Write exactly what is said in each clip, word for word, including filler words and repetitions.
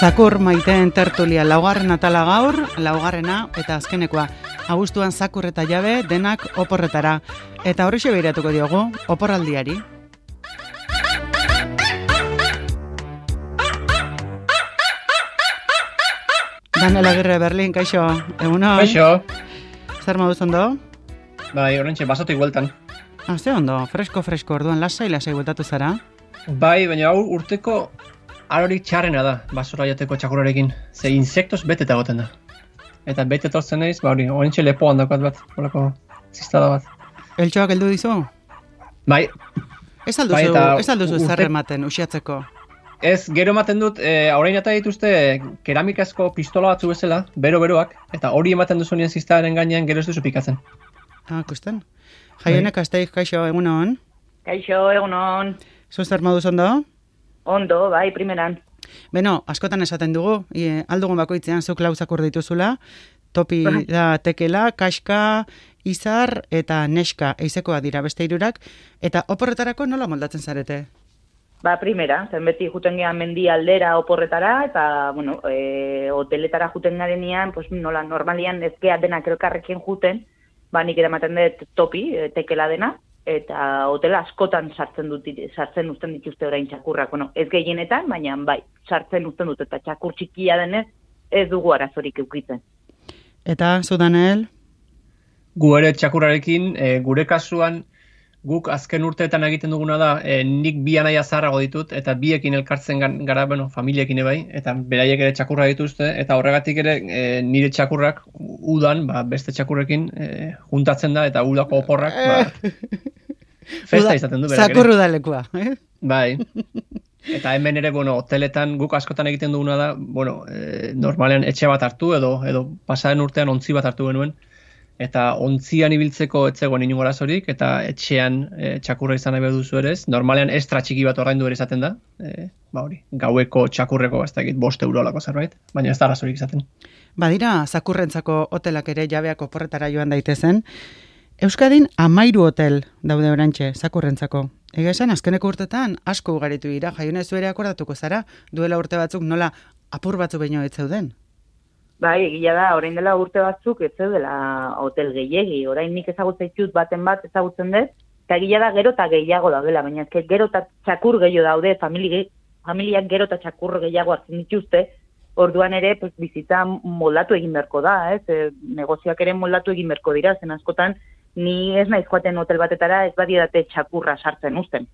Sakur maiteen tertulia laugarren atala gaur, laugarrena eta azkenekoa. Abuztuan Sakur eta Jabe denak oporretara. Eta horrexe behiratuko diogu, oporraldiari. Daniel Agirre, Berlin, kaixo, egunon? Kaixo. Zer moduz ondo? Bai, horrentxe, basotik bueltan. Ah, ze ondo, fresko-fresko, orduan lasai lasai bueltatu zara? Bai, baina hau urteko arorik txarrena da, basura jateko txakurrarekin. Ze insektos beteta goten da. Eta bete tortzen naiz, ba hori, horrentxe lepoan dakat bat, horako ziztada bat. Eltxoak heldu dizu? Bai. Ez alduzu, bai, eta ez alduzu urte... zer ematen, usiatzeko? Ez, gero ematen dut, e, orain eta dituzte keramikazko pistola batzu bezala, bero-beroak, eta hori ematen duzu nien ziztaren gainean gero ez duzu pikatzen. Ah, kusten. Jaionek asteik, kaixo, egunon? Kaixo, egunon. Zu zer moduz ondo? Ondo, bai, primeran. Beno, askotan esaten dugu, e, aldugun bakoitzean zuk lau zakur dituzula, topi da tekela, kaska, izar eta neska, eizekoa dira beste hirurak, eta oporretarako nola moldatzen zarete? Ba, primera, zen beti juten gehan mendi aldera oporretara, eta, bueno, e, hoteletara juten garenean, pues, nola, normalian ez geha denak elkarrekin juten, ba, nik eramaten dut topi, e, tekela dena, eta hotela askotan sartzen dut, sartzen uzten dituzte orain txakurrak, bueno, ez gehienetan, baina bai, sartzen uzten dut, eta txakur txikia denez, ez dugu arazorik eukitzen. Eta, zu Daniel? Gu ere txakurrarekin, e, gure kasuan, guk azken urteetan egiten duguna da, e, nik bi anaia zaharrago ditut, eta biekin elkartzen gara, bueno, familiekin ebai, eta beraiek ere txakurra dituzte, eta horregatik ere e, nire txakurrak udan, ba, beste txakurrekin e, juntatzen da, eta udako oporrak, ba, festa izaten du berak ere. Zakur udalekua, eh? Bai. Eta hemen ere, bueno, hoteletan guk askotan egiten duguna da, bueno, e, normalean etxe bat hartu, edo, edo pasaren urtean ontzi bat hartu genuen, eta ontzian ibiltzeko etzegoen inungo arazorik, eta etxean e, txakurra izan nahi behar duzu ere ez. Normalean estra txiki bat ordaindu ere izaten da, e, ba hori, gaueko txakurreko, ez dakit, bost eurolako zerbait, baina ez da arazorik izaten. Badira, zakurrentzako hotelak ere jabeak oporretara joan daitezen. Euskadin amairu hotel daude orantxe, zakurrentzako. Ega esan, azkeneko urtetan asko ugaritu dira, Jaione zu ere akordatuko zara, duela urte batzuk nola apur batzu baino ez zeuden. Bai, egia da, orain dela urte batzuk ez zeudela hotel gehiegi, orain nik ezagutzen ditut baten bat ezagutzen dut, eta egia da gero eta gehiago daudela, baina ezke gero eta txakur gehiago daude, famili, familiak gero eta txakur gehiago hartzen dituzte, orduan ere pues, bizitza moldatu egin beharko da, ez? E, negozioak ere moldatu egin beharko dira, zen askotan ni ez naiz joaten hotel batetara ez badidate txakurra sartzen uzten.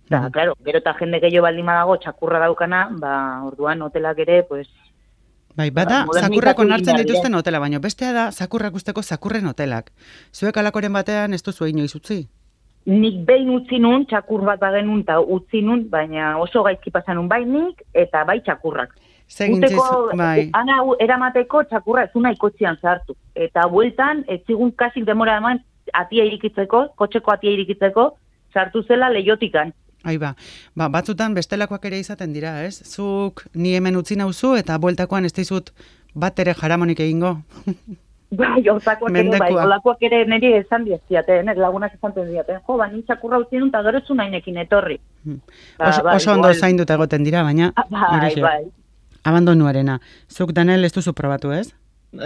Da, mm. Claro, gero eta jende gehiago baldin badago txakurra daukana, ba, orduan hotelak ere, pues, bai, bada, zakurrak onartzen dituzten hotela, baina bestea da, zakurrak usteko zakurren hotelak. Zuek alakoren batean ez duzu inoiz utzi? Nik behin utzi nun, txakur bat bagenun eta utzi nun, baina oso gaizki pasanun bai nik eta bai txakurrak. Zegintziz, bai. Ana eramateko txakurra ez una ikotzian zartu. Eta bueltan, ez zigun kasik demora eman atia irikitzeko, kotxeko atia irikitzeko, sartu zela leiotikan. Ai ba, ba, batzutan bestelakoak ere izaten dira, ez? Zuk ni hemen utzi nauzu eta bueltakoan ez dizut bat ere jaramonik egingo. Bai, hortakoak ere, bai, olakoak ere niri esan diaztiaten, lagunak esan diaten, jo, ba, ni txakurra utzi nun, eta gero zu nahinekin etorri. Ba, oso, oso ondo zainduta egoten dira, baina... Bai, bai. Abandonuarena. Zuk, Daniel, ez duzu probatu, ez?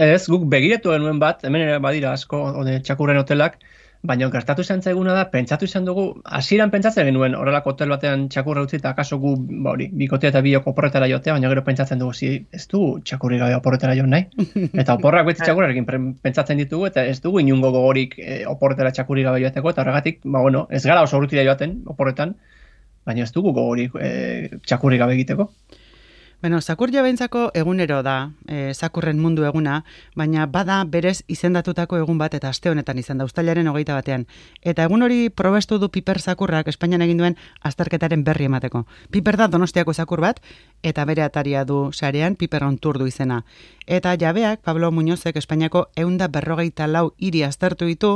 Ez, guk begiratu genuen bat, hemen ere badira asko ode, txakurren hotelak, baina gertatu izan zaiguna da, pentsatu izan dugu, hasieran pentsatzen genuen horrelako hotel batean txakurra utzi eta akaso gu, ba hori, bikotea eta biok oporretara jotea, baina gero pentsatzen dugu, zi, ez du txakurri gabe oporretara joan nahi. Eta oporrak beti txakurrarekin pentsatzen ditugu, eta ez dugu inungo gogorik e, oporretara txakurri gabe joateko, eta horregatik, ba bueno, ez gara oso urrutira joaten oporretan, baina ez dugu gogorik e, txakurri gabe egiteko. Bueno, zakur jabentzako egunero da, e, zakurren mundu eguna, baina bada berez izendatutako egun bat eta aste honetan izan da, uztailaren hogeita batean. Eta egun hori probestu du Piper zakurrak Espainian egin duen azterketaren berri emateko. Piper da Donostiako zakur bat, eta bere ataria du sarean Piper on Tour du izena. Eta jabeak, Pablo Muñozek Espainiako ehunda berrogeita lau hiri aztertu ditu,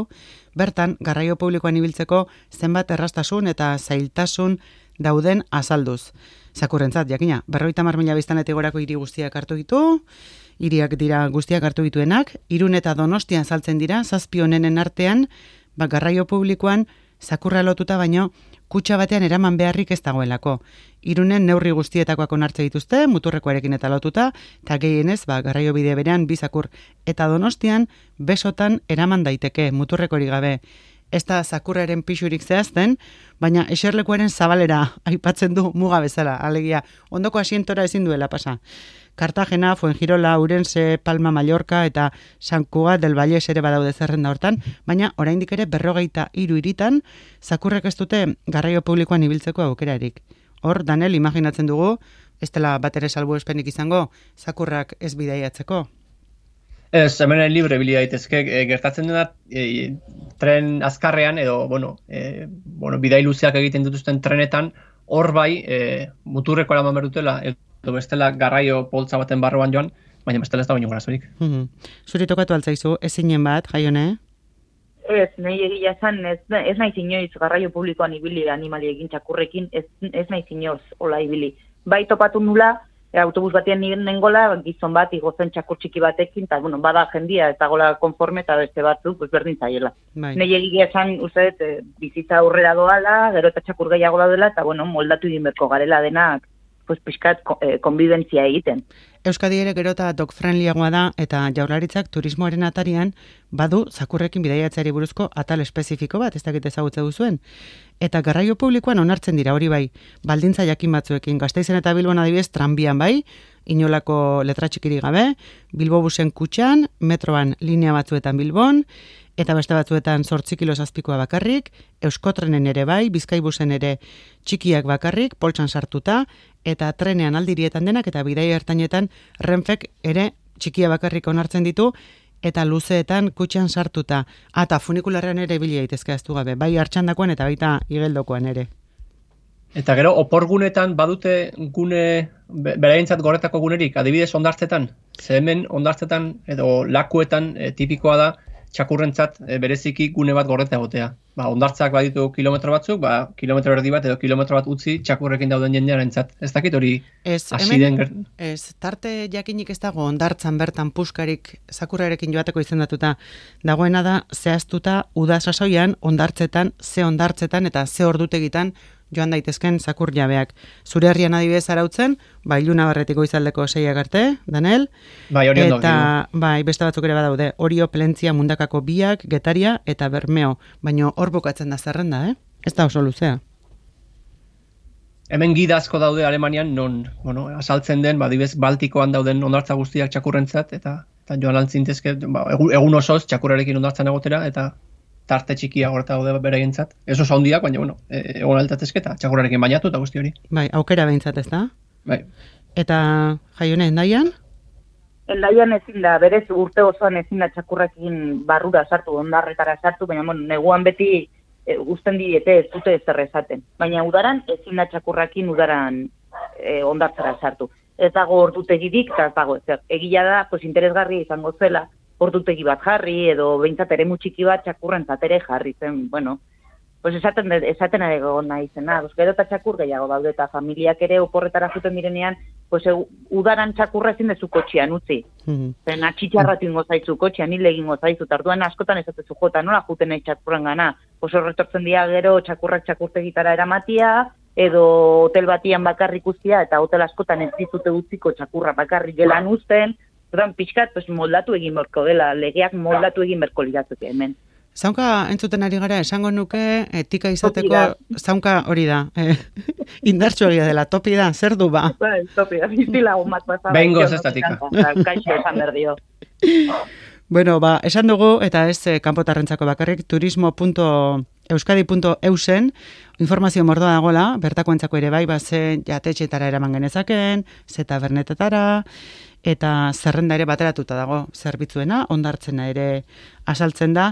bertan garraio publikoan ibiltzeko zenbat errastasun eta zailtasun dauden azalduz. Zakurrentzat, jakina, berrogeita hamar mila biztanletik gorako hiri guztiak hartu ditu, hiriak dira guztiak hartu dituenak, Irun eta Donostian saltzen dira, zazpi honenen artean, ba, garraio publikoan zakurra lotuta baino, kutxa batean eraman beharrik ez dagoelako. Irunen neurri guztietakoak onartze dituzte, muturrekoarekin eta lotuta, eta gehienez, ba, garraio bide berean bizakur. Eta Donostian, besotan eraman daiteke, muturrekori gabe. Ez da zakurraren pixurik zehazten, baina eserlekuaren zabalera aipatzen du muga bezala, alegia, ondoko asientora ezin duela pasa. Cartagena, Fuengirola, Urense, Palma, Mallorca eta San Cugat del Valles ere badaude zerrenda hortan, baina oraindik ere berrogeita hiru hiritan zakurrek ez dute garraio publikoan ibiltzeko aukerarik. Hor, Danel, imaginatzen dugu, ez dela bat ere salbuespenik izango, zakurrak ez bidaiatzeko. Ez, hemen libre bilia daitezke, e, gertatzen dena e, tren azkarrean edo, bueno, e, bueno, bidai luzeak egiten dituzten trenetan, hor bai, e, muturreko eraman behar dutela, edo bestela garraio poltza baten barruan joan, baina bestela ez da baino garazorik. Mm-hmm. Zuri tokatu altzaizu, ezinen bat, Jaione? Ez, nahi egia esan, ez, ez nahi inoiz garraio publikoan ibili animaliekin txakurrekin, ez, ez nahi inoiz hola ibili. Bai topatu nula, E, autobus batean nengola, gizon bat, igozen txakur txiki batekin, eta, bueno, bada jendia, ez dagoela konforme, eta beste batzu, pues berdin zaiela. Bai. Nei egia esan, uste, e, bizitza aurrera doala, gero eta txakur gehiago daudela, eta, bueno, moldatu egin berko garela denak, pues, pixkat, e, konbibentzia egiten. Euskadi ere gero eta dog-friendlyagoa da, eta Jaurlaritzak turismoaren atarian badu zakurrekin bidaiatzeari buruzko atal espezifiko bat, ez dakit ezagutze duzuen. Eta garraio publikoan onartzen dira hori bai, baldintza jakin batzuekin, Gasteizen eta Bilbon adibidez tranbian bai, inolako letra txikiri gabe, Bilbobusen kutxan, metroan linea batzuetan Bilbon, eta beste batzuetan zortzi kilo zazpikoa bakarrik, Euskotrenen ere bai, Bizkaibusen ere txikiak bakarrik, poltsan sartuta, eta trenean aldirietan denak, eta bidai hartainetan Renfek ere txikia bakarrik onartzen ditu, eta luzeetan kutxan sartuta. Eta funikularrean ere bilia daitezke aztu gabe, bai hartxandakoan eta baita igeldokoan ere. Eta gero, oporgunetan badute gune, beraientzat gorretako gunerik, adibidez ondartzetan, ze hemen ondartzetan edo lakuetan e, tipikoa da, txakurrentzat e, bereziki gune bat gorreta egotea. Ba, ondartzak baditu kilometro batzuk, ba, kilometro erdi bat edo kilometro bat utzi txakurrekin dauden jendearentzat. Ez dakit hori hasi den... Ez, tarte jakinik ez dago ondartzan bertan puskarik zakurrarekin joateko izendatuta. Dagoena da, zehaztuta uda sasoian, ondartzetan, ze ondartzetan eta ze ordutegitan joan daitezken zakur jabeak. Zure herrian adibidez arautzen, ba, iluna barretiko izaldeko seiak arte, Danel. Bai, hori ondo. Eta, bai, beste batzuk ere badaude, Orio, Plentzia, Mundakako Biak, Getaria eta Bermeo. Baina hor bukatzen da zerrenda, eh? Ez da oso luzea. Hemen gida asko daude Alemanian, non, bueno, asaltzen den, ba, adibidez, Baltikoan dauden ondartza guztiak txakurrentzat, eta, eta joan altzintezke, ba, egun osoz txakurrarekin ondartzan egotera, eta tarte txikia horreta daude beraientzat. Ez oso handiak, baina, bueno, egon altatezke eta txakurrarekin bainatu eta guzti hori. Bai, aukera behintzat ez da? Bai. Eta, Jaione, Endaian? Endaian ezin da, berez urte osoan ezin da txakurrekin barrura sartu, ondarretara sartu, baina, bueno, neguan beti e, guzten diete ez dute ezer esaten. Baina udaran ezin da txakurrekin udaran e, ondartzara sartu. Ez dago ordutegirik, eta ez dago ezer. Egia da, pues, interesgarria izango zela, ordutegi bat jarri, edo behintzat ere mutxiki bat txakurrentzat ere jarri zen, bueno, pues esaten, esaten egon nahi zena, pues gero eta txakur gehiago daude, eta familiak ere oporretara zuten direnean, pues udaran txakurra ezin dezu kotxean utzi. Mm-hmm. Zen atxitxarratu ingo zaizu kotxean, hile egingo zaizu, tarduan askotan esatezu jota, nola juten nahi txakurren gana, pues horretortzen dira gero txakurrak txakurtegitara eramatia, edo hotel batian bakarrik ustia, eta hotel askotan ez dizute utziko txakurra bakarrik gelan uzten, Zoran, pixkat, pues, moldatu egin berko dela, legeak moldatu egin berko liratzuke hemen. Zaunka entzuten ari gara, esango nuke, etika izateko, zaunka hori da, eh, indartxo egia dela, topi da, zer du ba? Bai, topi da, biztila gomat pasaba. Behingo ez estatika. Kaixo esan berdio. Bueno, ba, esan dugu, eta ez eh, kanpotarrentzako bakarrik, turismo punto euskadi punto eusen, informazio mordoa dagoela, bertakoentzako ere bai, ba, ze jatetxetara eraman genezaken, ze tabernetetara, eta zerrenda ere bateratuta dago zerbitzuena, ondartzena ere asaltzen da,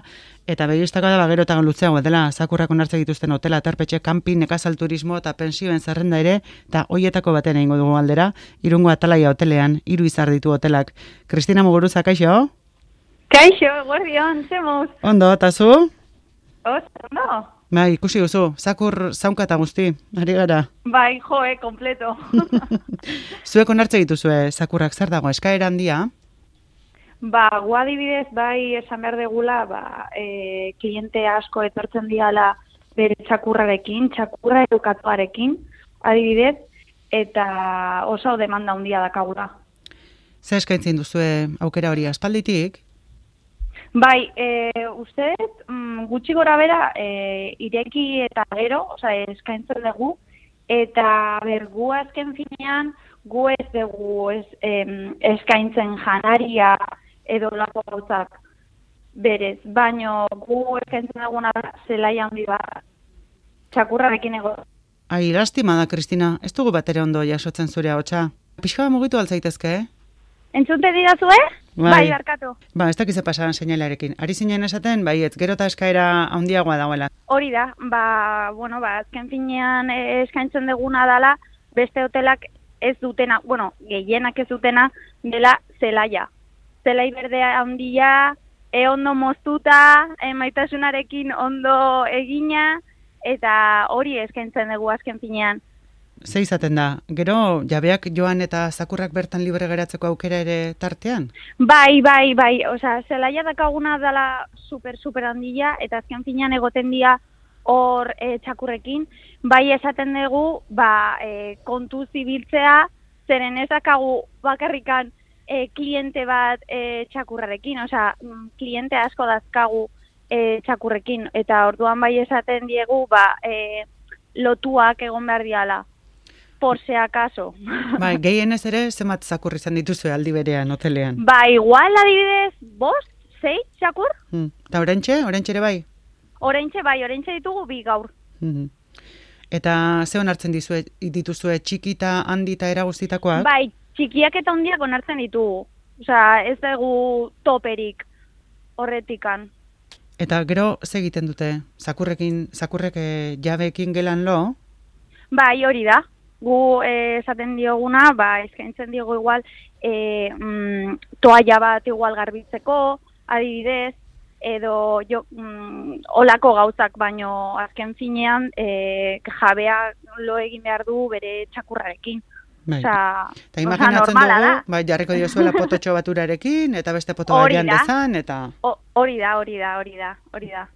eta begistako da bagero eta luzeago dela, zakurrak onartzen dituzten hotela, terpetxe, camping, nekazal turismo eta pensioen zerrenda ere, eta hoietako baten egingo dugu aldera, Irungo Atalaia hotelean, hiru izar ditu hotelak. Kristina Muguruza, kaixo? Kaixo, guardion, zemuz. Ondo, eta zu? Oso, no. Bai, ikusi guzu, zakur zaunka eta guzti, ari gara. Bai, joe, kompleto. Zuek onartze dituzue, zakurrak zer dago, eskaera handia? Ba, guadibidez, bai, esan behar degula, ba, e, kliente asko etortzen diala, be, txakurrarekin, txakurra edukatuarekin, adibidez, eta oso demanda handia dakagura. Ze eskaintzen duzue aukera hori aspalditik? Bai, e, uste, mm, gutxi gora bera, e, ireki eta gero, oza, eskaintzen dugu, eta bergu azken finean, gu ez dugu ez, em, eskaintzen janaria edo lako gauzak berez, baino gu eskaintzen duguna da zelai handi bat, txakurrarekin ego. Ai, lastima da, Kristina, ez dugu batere ondo jasotzen zure ahotsa. Pixka mugitu altzaitezke, eh? Entzute didazue? Bai, bai barkatu. Ba, ez dakize pasaran seinalarekin. Ari zinen esaten, bai, ez gero eta eskaera handiagoa dagoela. Hori da, ba, bueno, ba, azken finean eskaintzen duguna dela, beste hotelak ez dutena, bueno, gehienak ez dutena, dela zelaia. Zelai berdea handia, e ondo moztuta, e, maitasunarekin ondo egina, eta hori eskaintzen dugu azken finean. Ze izaten da, gero jabeak joan eta zakurrak bertan libre geratzeko aukera ere tartean? Bai, bai, bai, osea, zelaia dakaguna dela super, super handia, eta azken finean egoten dira hor e, txakurrekin, bai esaten dugu, ba, e, kontu zibiltzea, zeren ez dakagu bakarrikan e, kliente bat e, txakurrarekin, osea, kliente asko dazkagu e, txakurrekin, eta orduan bai esaten diegu, ba, e, lotuak egon behar diala. Por si acaso. Bai, gehienez ere, zenbat zakur izan dituzue aldi berean, hotelean? Ba, igual adibidez, bost, sei txakur? Hmm. Ta orentxe, orentxe ere bai? Orentxe bai, orentxe ditugu bi gaur. Hmm. Eta ze onartzen dizue, dituzue txiki eta handi eta eraguztitakoak? Bai, txikiak eta handiak onartzen ditugu. Osea, ez dugu toperik horretikan. Eta gero ze egiten dute? Zakurrekin, zakurrek eh, jabeekin gelan lo? Bai, hori da. Gu eh, esaten dioguna, ba, eskaintzen diogu igual eh, mm, toalla bat igual garbitzeko, adibidez, edo jo, mm, olako gauzak, baino azken finean eh, jabea lo egin behar du bere txakurrarekin. Bai. Osa, eta imaginatzen dugu, da. bai, jarriko diozuela pototxo baturarekin, eta beste poto batean dezan, eta... Hori da, hori da, hori da, hori da.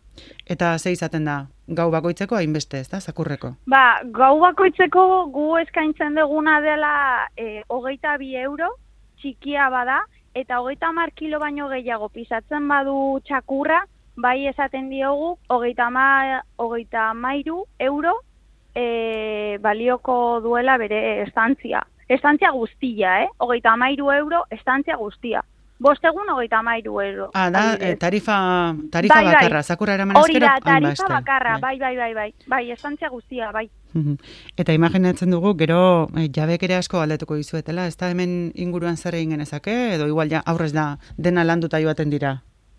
Eta ze izaten da, gau bakoitzeko hainbeste, ez da, zakurreko? Ba, gau bakoitzeko gu eskaintzen duguna dela e, hogeita bi euro, txikia bada, eta hogeita hamar kilo baino gehiago pisatzen badu txakurra, bai esaten diogu, hogeita hamairu euro e, balioko duela bere estantzia. Estantzia guztia, eh? hogeita hamairu euro estantzia guztia. Bostegun hogeita hamairu euro. Ah, da, eh, tarifa, tarifa bai, bakarra, bai. zakurra eraman ezkero? Hori da, tarifa bakarra, bai, bai, bai, bai, bai, estantzia guztia, bai. Eta imaginatzen dugu, gero eh, jabek ere asko galdetuko dizuetela, ez da hemen inguruan zer egin genezake, edo igual ja aurrez da dena landuta joaten dira?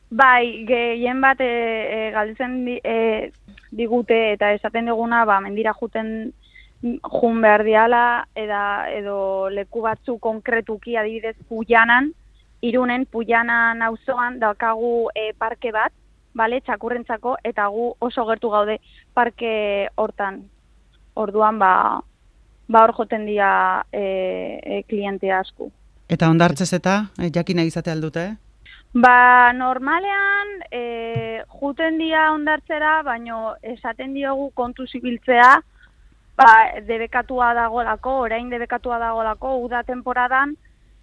Bai, gehien bat e, e, galdetzen di, e, digute eta esaten duguna, ba, mendira juten jun behar diala, eda, edo leku batzu konkretuki adibidez Puianan, Irunen, Puianan auzoan daukagu e, parke bat, bale, txakurrentzako, eta gu oso gertu gaude parke hortan. Orduan, ba, ba hor joten dira e, e, kliente asko. Eta ondartzez eta, e, jakina izate aldute? Ba, normalean, e, juten dira ondartzera, baino esaten diogu kontu zibiltzea, ba, debekatua dagolako, orain debekatua dagolako, uda temporadan,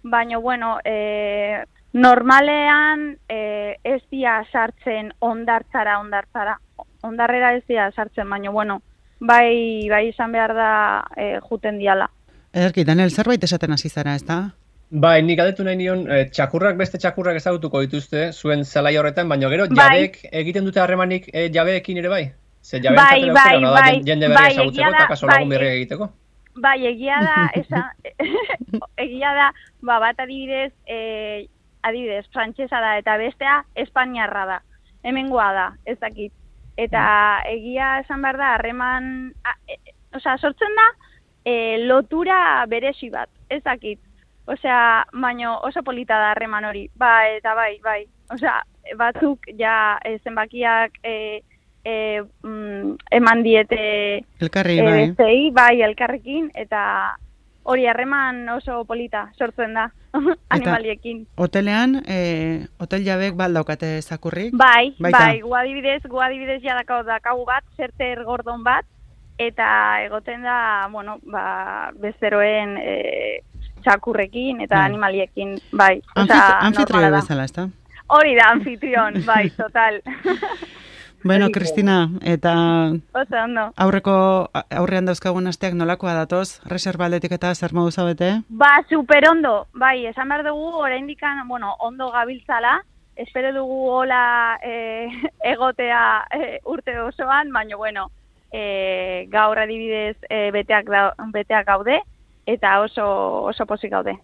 baina, bueno, e, normalean e, ez dia sartzen ondartzara, ondartzara. Ondarrera ez dia sartzen, baina, bueno, bai, bai izan behar da e, juten diala. Ederki, Daniel, zerbait esaten hasi zara, ez da? Bai, nik galdetu nahi nion, e, txakurrak beste txakurrak ezagutuko dituzte, zuen zelai horretan, baina gero bai. jabek egiten dute harremanik e, jabeekin ere bai? Ze jabeak bai, bai, bai, da, bai, jende berri ezagutzeko eta kaso lagun berri egiteko? Bai, egia da, esa, egia da, ba, bat adibidez, e, adibidez, frantsesa da, eta bestea espainiarra da, hemengoa da, ez dakit. Eta egia esan behar da, harreman, e, osea, sortzen da, e, lotura beresi bat, ez dakit. Osea, baino oso polita da harreman hori, ba, eta bai, bai. Osea, batzuk ja e, zenbakiak... E, E, mm, eman diete elkarri, e, bai. Bestei, bai, elkarrekin, eta hori harreman oso polita sortzen da. animaliekin. Hotelean, e, hotel jabek baldaukate zakurrik? Bai, Baita. bai, gu adibidez, gu adibidez ja dakau dakagu bat, zerter gordon bat, eta egoten da, bueno, ba, bezeroen e, txakurrekin eta Bai. animaliekin, bai. Anfit osea, anfitrio normala da. bezala, ezta? Hori da, anfitrion, bai, total. Bueno, Kristina, eta Oso ondo. aurreko aurrean dauzkagun asteak nolakoa datoz? Reserva aldetik eta zer modu zabete? Ba, super ondo, bai, esan behar dugu, oraindikan, bueno, ondo gabiltzala, espero dugu hola e, egotea e, urte osoan, baina, bueno, e, gaur adibidez e, beteak, da, beteak gaude, eta oso, oso pozik gaude.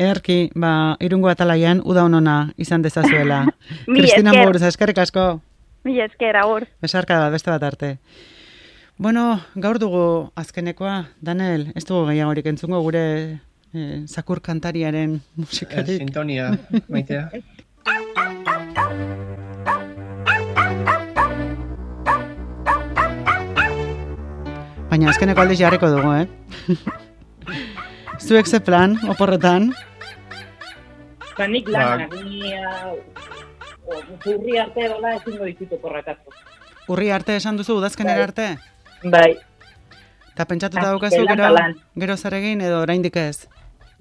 Erki, ba, irungo atalaian uda honona izan dezazuela. Mil Kristina esker. Muruz, eskerrik asko. Mila esker, agur. Besarka bat, beste bat arte. Bueno, gaur dugu azkenekoa, Daniel, ez dugu gehiagorik entzungo gure eh, zakur kantariaren Eh, musikarik. Sintonia, maitea. Baina azkeneko aldiz jarriko dugu, eh? Zuek ze plan, oporretan? Ba, nik Ba. lanak, ni uh, zurri arte dola ezingo ditut oporretatu. Urri arte esan duzu, udazkenera arte? Bai, Eta pentsatuta Ah, daukazu lan gero, eta lan. gero zer egin edo oraindik ez?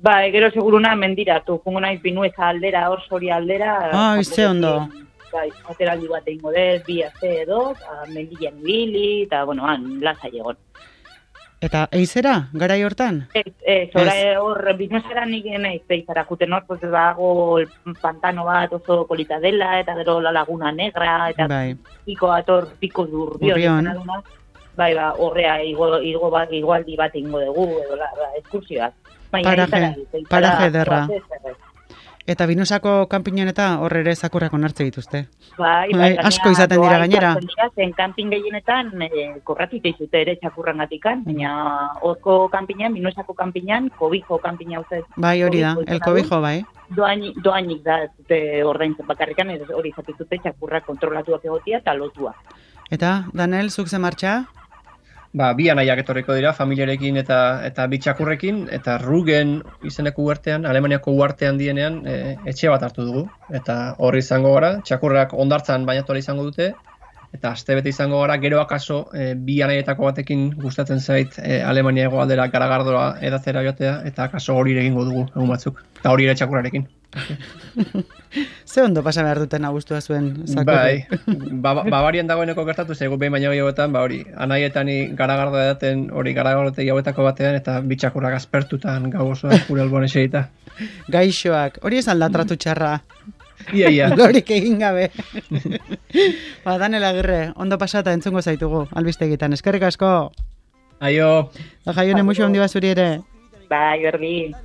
bai, gero seguruna mendiratu, jungo naiz Pinueza aldera, Orsori aldera. Ai, ze ondo. Bai, ateraldi bat egingo dez, bi aste edo, ba, mendian ibili, eta, bueno, han, lasai egon. Eta eizera, garai hortan? Ez, ez, ora, Ez. hor, Pinuezara nik naiz peizara, juten hor, pues, bago el pantano bat oso polita dela, eta gero la laguna negra, eta Bai. piko ator, piko durbion. Urrion. izan aduna. Bai, ba, horrea, igo, igo bat, igualdi bat ingo dugu, edo, la, la, eskursioak. Baina, Paraje, eizara, eizara, paraje ederra. ez, ez, ez. Eta Binusako kanpinon eta hor ere zakurrak onartze dituzte. Bai, Bai, bai, gainera, asko izaten dira doa gainera. izaten dira, zen kanpin gehienetan e, korratu dituzte ere txakurrangatikan, baina horko kanpinan, Minuesako kanpinan, kobijo kanpina uste. Bai, hori da, kobijo el izena du. kobijo, bai. Doainik, doainik da, ez dute ordaintzen bakarrikan, ez hori izaten dute txakurrak kontrolatuak egotia eta lotua. Eta, Daniel, zuk ze martxa? Ba, bi anaiak etorriko dira, familiarekin eta eta bi txakurrekin, eta Rugen izeneko uartean, Alemaniako uartean dienean, e, etxe bat hartu dugu. Eta horri izango gara, txakurrak ondartzan bainatu ahal izango dute, eta astebete izango gara, gero akaso e, bi anaietako batekin gustatzen zait e, Alemania hegoaldera garagardoa edatzera joatea, eta akaso hori ere egingo dugu egun batzuk. Eta hori ere txakurrarekin. Ze ondo pasa behar duten abustua zuen zakurri? Bai, ba, Bavarian dagoeneko gertatu zaigu behin baino gehiagotan, ba hori, anaietan garagardo edaten hori garagardotegi hauetako batean, eta bitxakurrak aspertutan gau osoan gure alboan eserita. Gaixoak, hori ez alda tratu txarra. Ia, ia. Gorik egin gabe. Ba, Daniel Agirre, ondo pasata entzungo zaitugu, albistegitan. Eskerrik asko. Aio. Da jaione muxo handi bazuri ere. Bai, berri.